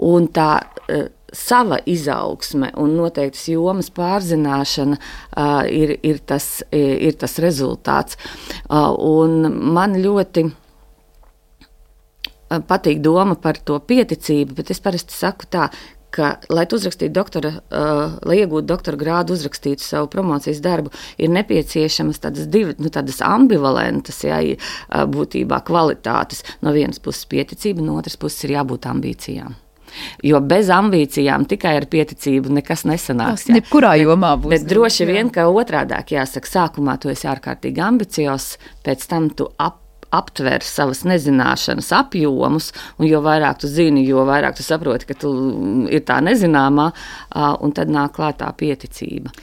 Un tā uh, sava izaugsme un noteiktas jomas pārzināšana uh, ir, ir, tas, ir tas rezultāts. Uh, un man ļoti uh, patīk doma par to pieticību, bet es parasti saku tā, ka, lai tu uzrakstītu doktora, uh, lai iegūtu doktora grādu, uzrakstītu savu promocijas darbu, ir nepieciešamas tādas divi, nu, tādas ambivalentas, jā, būtībā kvalitātes. No vienas puses pieticība, no otras puses ir jābūt ambīcijām. Jo bez ambīcijām tikai ar pieticību nekas nesanāks. Tas jebkurā jomā būs. Bet droši vien, ka otrādāk jāsaka, sākumā tu esi ārkārtīgi ambiciozs, pēc tam tu ap, aptver savas nezināšanas apjomus, un jo vairāk tu zini, jo vairāk tu saproti, ka tu ir tā nezināmā, un tad nāk klātā pieticība.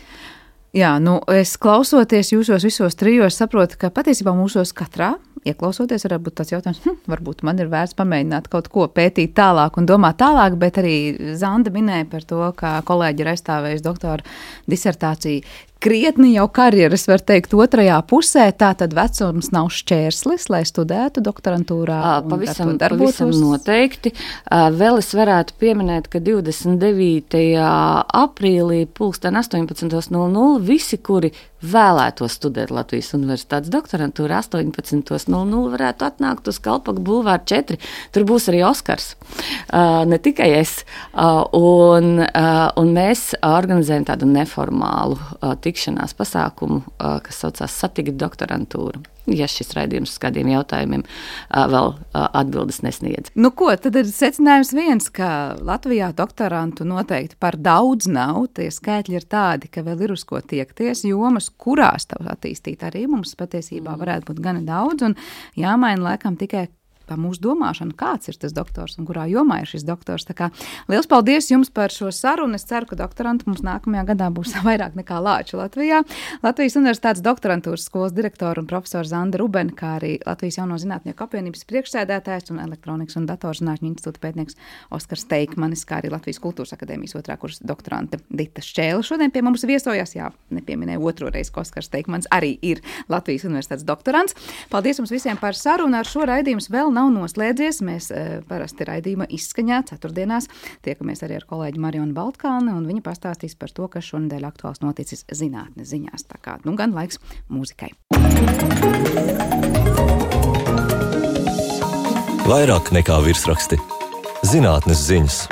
Jā, nu es klausoties jūsos visos trijos saprotu, ka patiesībā mūsos katrā, ieklausoties, varētu būt tāds jautājums, hm, varbūt man ir vērts pamēģināt kaut ko pētīt tālāk un domāt tālāk, bet arī Zanda minēja par to, ka kolēģi ir aizstāvējuši doktora disertāciju. Krietni jau karjeras, var teikt, otrajā pusē, tā tad vecums nav šķērslis, lai studētu doktorantūrā. Pavisam, pavisam noteikti. Vēl es varētu pieminēt, ka divdesmit devītajā aprīlī pulksten astoņpadsmit nulle nulle visi, kuri vēlētos studēt Latvijas Universitātes doktorantūrā, astoņpadsmit nulle nulle varētu atnākt uz Kalpaku bulvāru četri. Tur būs arī Oskars, ne tikai es. Un, un mēs organizējam tādu neformālu tikšanās pasākumu, kas saucās Satikt doktorantūru. Ja šis raidījums uz kādiem jautājumiem vēl atbildes nesniedz. Nu ko, tad ir secinājums viens, ka Latvijā doktorantu noteikti par daudz nav. Tie skaitļi ir tādi, ka vēl ir uz ko tiekties. Jomas, kurās tev attīstīt arī mums patiesībā varētu būt gana daudz. Un jāmaina laikam tikai pa mūsu domāšanu, kāds ir tas doktors un kurā jomā ir šis doktors. Tā kā liels paldies jums par šo sarunu. Es ceru, ka doktoranti mums nākamajā gadā būs vairāk nekā lāču Latvijā. Latvijas Universitātes doktorantūras skolas direktora un profesora Zanda Rubena, kā arī Latvijas Jauno zinātnieku apvienības priekšsēdētājs un elektronikas un datorzinātņu institūta pētnieks Oskars Teikmanis, kā arī Latvijas Kultūras akadēmijas otrā kursa doktorante Dita Šķēle. Šodien pie mums viesojās, jā, nepieminēju otro reizi, ka Oskars Teikmanis arī ir Latvijas Universitātes doktorants. Paldies jums visiem par sarunu. Ar šo raidījums vēl nav noslēdzies. Mēs e, parasti raidījuma izskaņā ceturtdienās tiekamies arī ar kolēģi Marionu Baltkāni, un viņa pastāstīs par to, kas šonedēļ aktuāls noticis zinātnes ziņās. Tā kā, nu gan laiks mūzikai. Vairāk nekā virsraksti. Zinātnes ziņas.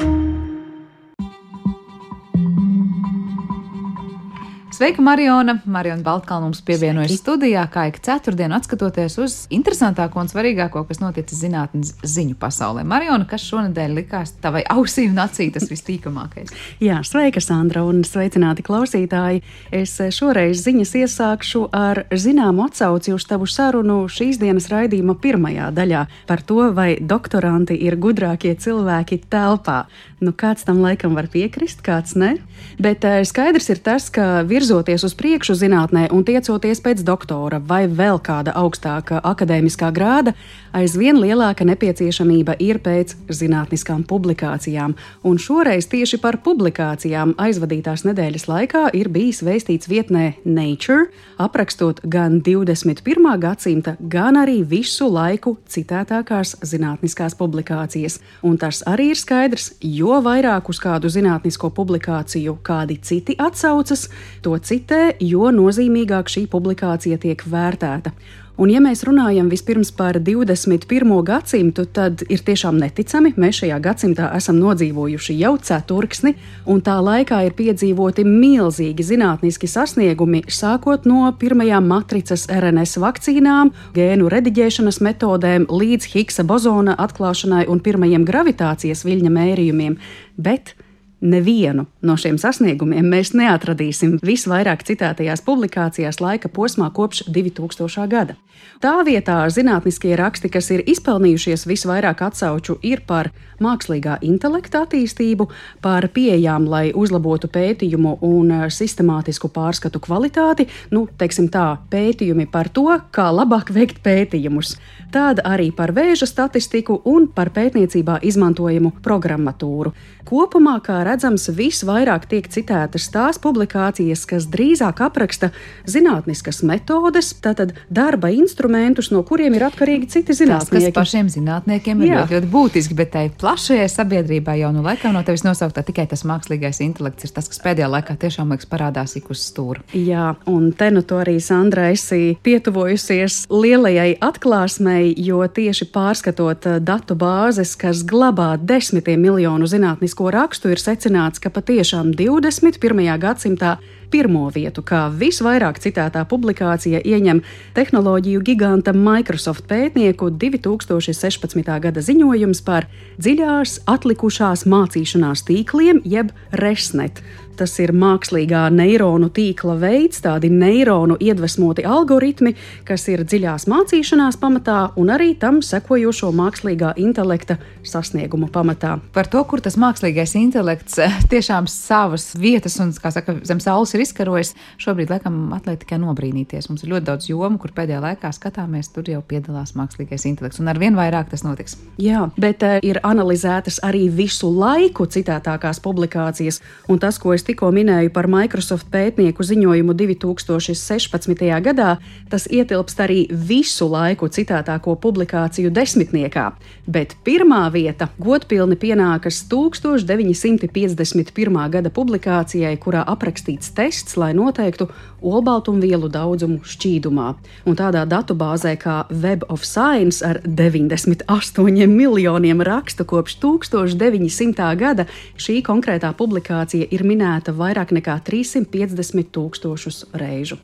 Sveika, Mariona! Mariona Baltkalna mums pievienojas studijā, kā ik ceturtdienu atskatoties uz interesantāko un svarīgāko, kas noticis zinātnes ziņu pasaulē. Mariona, kas šonedēļ likās tavai ausī un acī tas vistīkamākais? Jā, sveika, Sandra, un sveicināti klausītāji. Es šoreiz ziņas iesākšu ar zināmu atsauci uz tavu sarunu šīs dienas raidījuma pirmajā daļā par to, vai doktoranti ir gudrākie cilvēki telpā. Nu, kāds tam laikam var piekrist, kāds ne. Bet skaidrs ir tas, ka virzoties uz priekšu zinātnē un tiecoties pēc doktora vai vēl kāda augstāka akadēmiskā grāda, aizvien lielāka nepieciešamība ir pēc zinātniskām publikācijām. Un šoreiz tieši par publikācijām aizvadītās nedēļas laikā ir bijis vēstīts vietnē Nature, aprakstot gan divdesmit pirmā gadsimta, gan arī visu laiku citētākās zinātniskās publikācijas. Un tas arī ir skaidrs, jo vairāk uz kādu zinātnisko publikāciju kādi citi atsaucas, to citē, jo nozīmīgāk šī publikācija tiek vērtēta. Un ja mēs runājam vispirms par divdesmit pirmo gadsimtu, tad ir tiešām neticami, mēs šajā gadsimtā esam nodzīvojuši jau ceturksni, un tā laikā ir piedzīvoti milzīgi zinātniski sasniegumi, sākot no pirmajām matricas R N S vakcīnām, gēnu rediģēšanas metodēm, līdz Higgsa bozona atklāšanai un pirmajiem gravitācijas viļņa mērījumiem, bet nevienu no šiem sasniegumiem mēs neatradīsim visvairāk citētajās publikācijās laika posmā kopš divi tūkstošā gada. Tā vietā zinātniskie raksti, kas ir izpelnījušies visvairāk atsauču, ir par mākslīgā intelekta attīstību, par pieejām, lai uzlabotu pētījumu un sistemātisku pārskatu kvalitāti, nu, teiksim tā, pētījumi par to, kā labāk veikt pētījumus. Tāda arī par vēža statistiku un par pētniecībā izmantojamu programmatūru. Kopumā, kā redzams, visvairāk tiek citētas tās publikācijas, kas drīzāk apraksta zinātniskas metodes, tātad darba instrumentus, no kuriem ir atkarīgi citi zinātnieki. Tas, kas pašiem zinātniekiem ir ļoti, ļoti būtiski, bet tai plašajai sabiedrībai jau nu laikam no tevis nosauktā tikai tas mākslīgais intelekts ir tas, kas pēdējā laikā tiešām liekas parādās ik uz stūra. Jā, un te nu to arī, Sandra, esi pietuvojusies lielajai atklāsmei, jo tieši pārskatot datu bāzes, kas glabā desmitiem miljonu zinātnisko rakstu, ir secināts, ka patiešām divdesmit pirmajā gadsimtā pirmo vietu, kā visvairāk citētā publikācija, ieņem tehnoloģiju giganta Microsoft pētnieku divi tūkstoši sešpadsmitā gada ziņojums par dziļās atlikušās mācīšanās tīkliem, jeb ResNet. Tas ir mākslīgā neironu tīkla veids, tādi neironu iedvesmoti algoritmi, kas ir dziļās mācīšanās pamatā un arī tam sekojošo mākslīgā intelekta sasniegumu pamatā. Par to, kur tas mākslīgais intelekts tiešām savas vietas un, kā saka, zem saules ir izkarojis, šobrīd laikam atliek tikai nobrīnīties. Mums ir ļoti daudz jomu, kur pēdējā laikā skatāmies, tur jau piedalās mākslīgais intelekts, un arvien vairāk tas notiks. Jā, bet uh, ir analizētas arī visu laiku citētākās publikācijas, un tas, ko es tikko minēju par Microsoft pētnieku ziņojumu divi tūkstoši sešpadsmitajā gadā, tas ietilpst arī visu laiku citētāko publikāciju desmitniekā, bet pirmā vieta godpilni pienākas tūkstoš deviņi simti piecdesmit pirmā gada publikācijai, kurā aprakstīts tests, lai noteiktu olbaltumvielu daudzumu šķīdumā. Un tādā datubāzē kā Web of Science ar deviņdesmit astoņiem miljoniem rakstu kopš tūkstoš deviņi simtā gada šī konkrētā publikācija ir minēta vairāk nekā trīssimt piecdesmit tūkstošus reižu.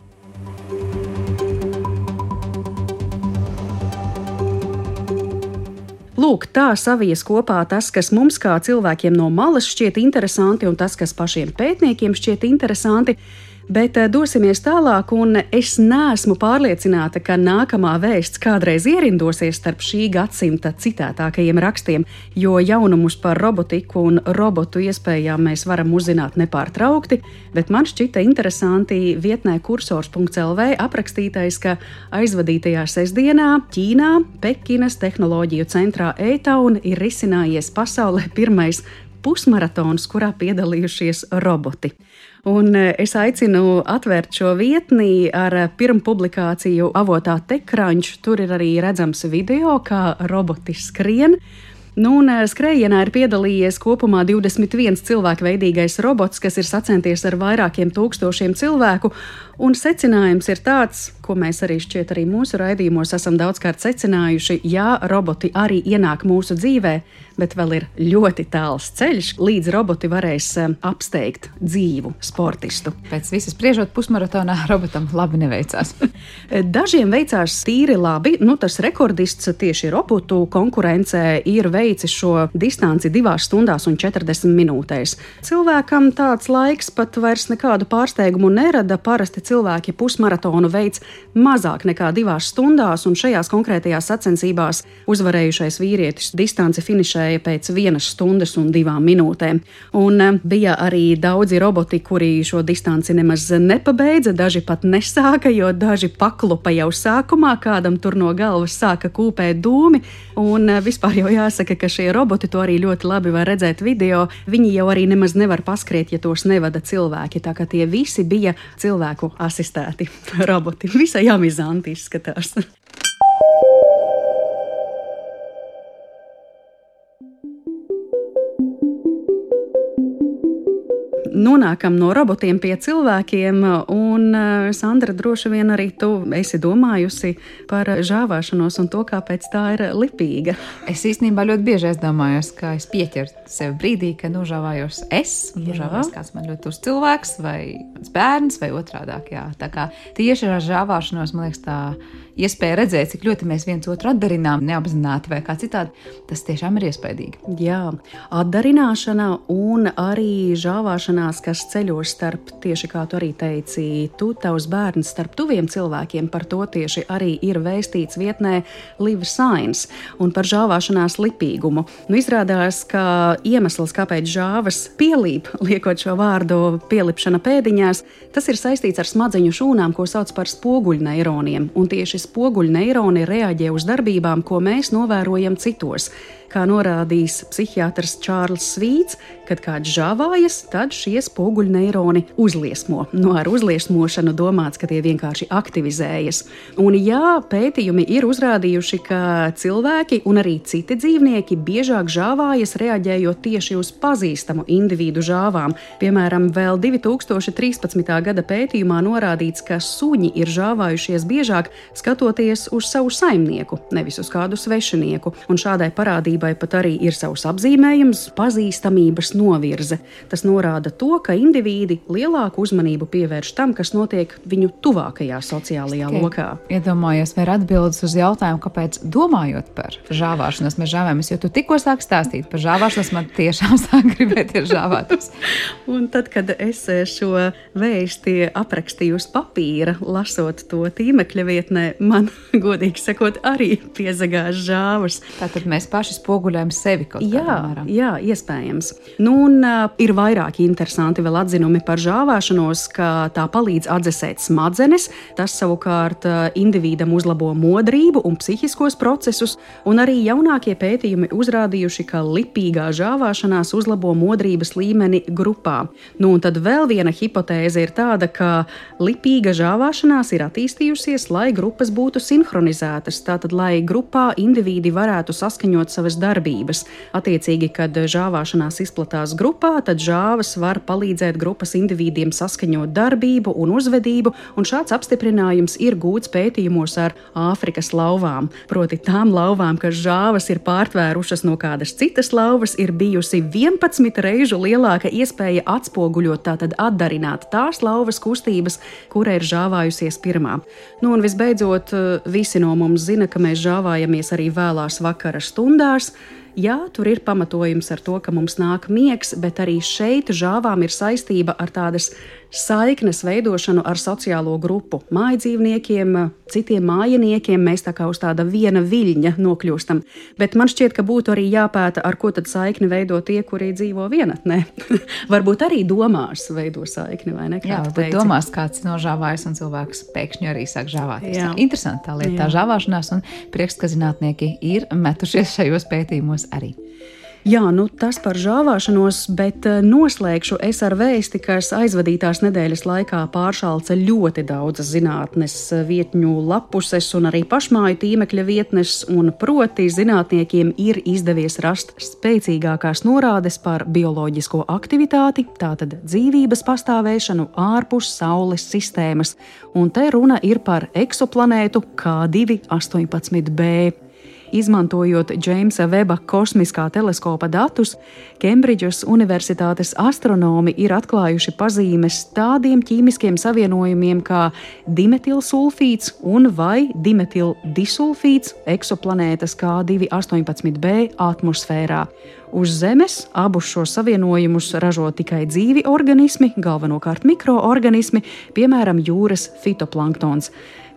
Lūk, tā savies kopā tas, kas mums kā cilvēkiem no malas šķiet interesanti un tas, kas pašiem pētniekiem šķiet interesanti. Bet dosimies tālāk, un es neesmu pārliecināta, ka nākamā vēsts kādreiz ierindosies starp šī gadsimta citētākajiem rakstiem, jo jaunumus par robotiku un robotu iespējām mēs varam uzzināt nepārtraukti, bet man šķita interesanti vietnē kursors punkts el vē aprakstītais, ka aizvadītajā sestdienā Ķīnā, Pekinas tehnoloģiju centrā E-Town ir risinājies pasaulē pirmais pusmaratons, kurā piedalījušies roboti. Un es aicinu atvērt šo vietni ar pirmpublikāciju avotā TechCrunch. Tur ir arī redzams video, kā roboti skrien. Nu, un skrējienā ir piedalījies kopumā divdesmit viens cilvēku veidīgais robots, kas ir sacenties ar vairākiem tūkstošiem cilvēku, un secinājums ir tāds, ko mēs arī šķiet arī mūsu raidījumos esam daudzkārt secinājuši, jā, roboti arī ienāk mūsu dzīvē, bet vēl ir ļoti tāls ceļš, līdz roboti varēs apsteigt dzīvu sportistu. Pēc visas spriežot pusmaratonā robotam labi neveicās. Dažiem veicās tīri labi, nu tas rekordists tieši robotu konkurencē ir veicis šo distanci divās stundās un četrdesmit minūtēs. Cilvēkam tāds laiks pat vairs nekādu pārsteigumu nerada, parasti cilvēki pusmaratonu veic mazāk nekā divās stundās, un šajās konkrētajās sacensībās uzvarējušais vīrietis distanci finišēja pēc vienas stundas un divām minūtēm. Un bija arī daudzi roboti, kuri šo distanci nemaz nepabeidza, daži pat nesāka, jo daži paklupa jau sākumā, kādam tur no galvas sāka kūpēt dūmi, un vispār jau jāsaka, ka šie roboti to arī ļoti labi var redzēt video. Viņi jau arī nemaz nevar paskriet, ja tos nevada cilvēki, tā ka tie visi bija cilvēku asistēti roboti. Visai amizanti izskatās. Nonākam no robotiem pie cilvēkiem, un Sandra, droši vien arī tu esi domājusi par žāvāšanos un to, kāpēc tā ir lipīga. Es īstenībā ļoti bieži aizdomājos, ka es pieķeru sev brīdī, ka nožāvājos es, nožāvājos kāds man ļoti uz cilvēks, vai mans bērns, vai otrādāk, jā. Tā kā tieši ar žāvāšanos, man liekas, tā iespēja redzēt, cik ļoti mēs viens otru atdarinām, neapzināti vai kā citādi, tas tiešām ir iespaidīgi. Jā, atdarināšana un arī žāvāšanās, kas ceļos starp, tieši kā tu arī teici, tu, tavs bērns starp tuviem cilvēkiem, par to tieši arī ir vēstīts vietnē Live Science un par žāvāšanās lipīgumu. Nu, izrādās, ka iemesls, kāpēc žāvas pielīp, liekot šo vārdu pielipšana pēdiņās, tas ir saistīts ar smadzeņu šūnām, ko sauc par spoguļneironiem, un tieši spoguļneironi reaģē uz darbībām, ko mēs novērojam citos. Kā norādījis psihiatrs Čārls Svīts, kad kāds žāvājas, tad šie spoguļneironi uzliesmo. No ar uzliesmošanu domāts, ka tie vienkārši aktivizējas. Un jā, pētījumi ir uzrādījuši, ka cilvēki un arī citi dzīvnieki biežāk žāvājas, reaģējot tieši uz pazīstamu individu žāvām. Piemēram, vēl divi tūkstoši trīspadsmitā gada pētījumā norādīts, ka suņi ir žāvājušies biežāk, skatoties uz savu saimnieku, nevis uz kādu svešinieku. Un šādai parādībai pat arī ir savs apzīmējums – pazīstamības novirze. Tas norāda to, ka indivīdi lielāku uzmanību pievērš tam, kas notiek viņu tuvākajā sociālajā Tikai lokā. Iedomājies, vai ir atbildes uz jautājumu, kāpēc domājot par žāvāšanos mēs žāvājamies, jo tu tikko sāk stāstīt par žāvāšanos, man tiešām sāk gribēties žāvāties. Un tad, kad es šo vēsti aprakstīju uz papīra, lasot to tīmekļa vietnē, man, godīgi sakot, arī piezagās žāvas. Tātad mēs paši spoguļojam sevi kaut kādā jā, mērā. Jā, iespējams. Nu, un uh, ir vairāki interesanti vēl atzinumi par žāvāšanos, ka tā palīdz atdzesēt smadzenes, tas savukārt uh, individam uzlabo modrību un psihiskos procesus, un arī jaunākie pētījumi uzrādījuši, ka lipīgā žāvāšanās uzlabo modrības līmeni grupā. Nu, un tad vēl viena hipotēze ir tāda, ka lipīga žāvāšanās ir attīstījusies, lai grupas būtu sinhronizētas, tātad, lai grupā individi varētu saskaņot savas darbības. Attiecīgi, kad žāvāšanās izplatās grupā, tad žāvas var palīdzēt grupas individiem saskaņot darbību un uzvedību, un šāds apstiprinājums ir gūts pētījumos ar Āfrikas lauvām. Proti tām lauvām, kas žāvas ir pārtvērušas no kādas citas lauvas, ir bijusi vienpadsmit reižu lielāka iespēja atspoguļot, tātad atdarināt tās lauvas kustības, kura ir žāvājusies pirmā. Nu, un visbeidzot, visi no mums zina, ka mēs žāvājamies arī vēlās vakara stundās. Jā, tur ir pamatojums ar to, ka mums nāk miegs, bet arī šeit žāvām ir saistība ar tādas saiknes veidošanu ar sociālo grupu. Mājdzīvniekiem, citiem mājiniekiem mēs tā kā uz tāda viena viļņa nokļūstam. Bet man šķiet, ka būtu arī jāpēta, ar ko tad saikni veido tie, kuri dzīvo vienatnē. Varbūt arī domās veido saikni, vai ne? Jā, bet domās kāds nožāvājas un cilvēks pēkšņi arī sāk žāvāties. Jā. Interesanti tā lieta, Jā. tā žāvāšanās, un prieks, ka zinātnieki ir metušies šajos pētījumos arī. Jā, nu tas par žāvāšanos, bet noslēgšu es ar vēsti, kas aizvadītās nedēļas laikā pāršalca ļoti daudzas zinātnes vietņu lapuses un arī pašmāju tīmekļa vietnes, un proti zinātniekiem ir izdevies rast spēcīgākās norādes par bioloģisko aktivitāti, tātad dzīvības pastāvēšanu ārpus Saules sistēmas, un te runa ir par eksoplanētu K divi astoņpadsmit b. Izmantojot Džeimsa Veba kosmiskā teleskopa datus, Kembridžas Universitātes astronomi ir atklājuši pazīmes tādiem ķīmiskiem savienojumiem kā dimetilsulfīts un vai dimetildisulfīts eksoplanētas K divi astoņpadsmit b atmosfērā. Uz Zemes abus šos savienojumus ražo tikai dzīvi organismi, galvenokārt mikroorganismi, piemēram, jūras fitoplanktons.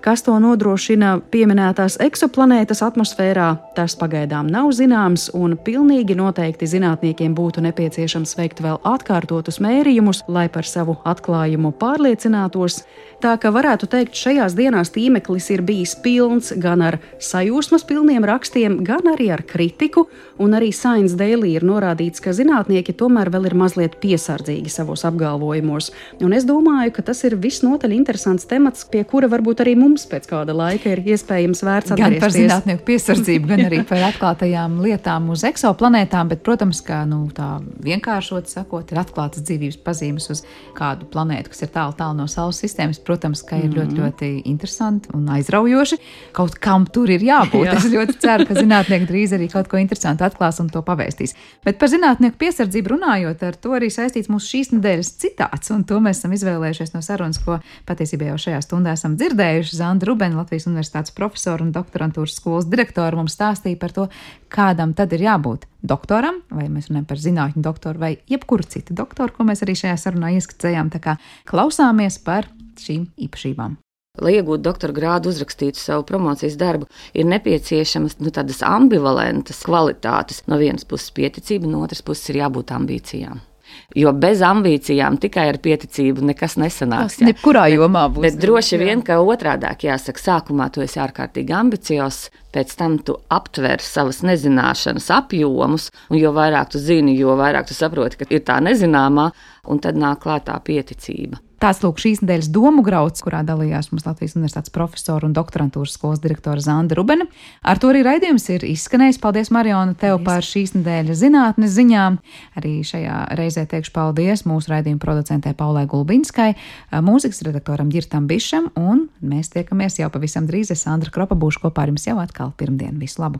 Kas to nodrošina pieminētās eksoplanētas atmosfērā, tas pagaidām nav zināms, un pilnīgi noteikti zinātniekiem būtu nepieciešams veikt vēl atkārtotus mērījumus, lai par savu atklājumu pārliecinātos. Tā ka varētu teikt, šajās dienās tīmeklis ir bijis pilns gan ar sajūsmas pilniem rakstiem, gan arī ar kritiku, un arī Science Daily ir norādīts, ka zinātnieki tomēr vēl ir mazliet piesardzīgi savos apgalvojumos. Un es domāju, ka tas ir visnotaļ interesants temats, pie kura varbūt arī mums pēc kāda laika ir iespējams vērts atgriezties. Gan par zinātnieku piesardzību, gan arī par atklātajām lietām uz eksoplanētām, bet, protams, kā nu, tā vienkāršot sakot, ir atklātas dzīvības pazīmes uz kādu planētu, kas ir tālu, tālu no Saules sistēmas. Protams, ka ir ļoti, ļoti interesanti un aizraujoši. Kaut kam tur ir jābūt. Jā. Es ļoti ceru, ka zinātnieki drīz arī kaut ko interesantu atklās un to pavēstīs. Bet par zinātnieku piesardzību runājot, ar to arī saistīts mūsu šīs nedēļas citāts, un to mēs esam izvēlējušies no sarunas, ko patiesībā jau šajā stundā esam dzirdējuši. Sandra Rubene, Latvijas Universitātes profesora un doktorantūras skolas direktora, mums stāstīja par to, kādam tad ir jābūt doktoram, vai mēs runājam par zinātņu doktoru vai jebkuru citu doktoru, ko mēs arī šajā sarunā ieskicējām. Tā kā klausāmies par šīm īpašībām. Lai iegūtu doktora grādu, uzrakstītu savu promocijas darbu, ir nepieciešamas nu, tādas ambivalentas kvalitātes. No vienas puses pieticība, no otras puses ir jābūt ambīcijām. Jo bez ambīcijām tikai ar pieticību nekas nesanāks. Tas nekurā jomā būs. Bet droši vien, ka otrādāk jāsaka, sākumā tu esi ārkārtīgi ambiciozs, pēc tam tu aptver savas nezināšanas apjomus, un jo vairāk tu zini, jo vairāk tu saproti, ka ir tā nezināmā, un tad nāk klātā pieticība. Tāds lūk šīs nedēļas domu grauds, kurā dalījās mums Latvijas Universitātes profesora un doktorantūras skolas direktora Sandra Rubene. Ar to arī raidījums ir izskanējis. Paldies, Mariona, tev paldies par šīs nedēļas zinātnes ziņām. Arī šajā reizē teikšu paldies mūsu raidījuma producentē Paulai Gulbinskai, mūzikas redaktoram Ģirtam Bišam, un mēs tiekamies jau pavisam drīz. Es Sandra Kropa būšu kopā ar jums jau atkal pirmdien. Visu labu!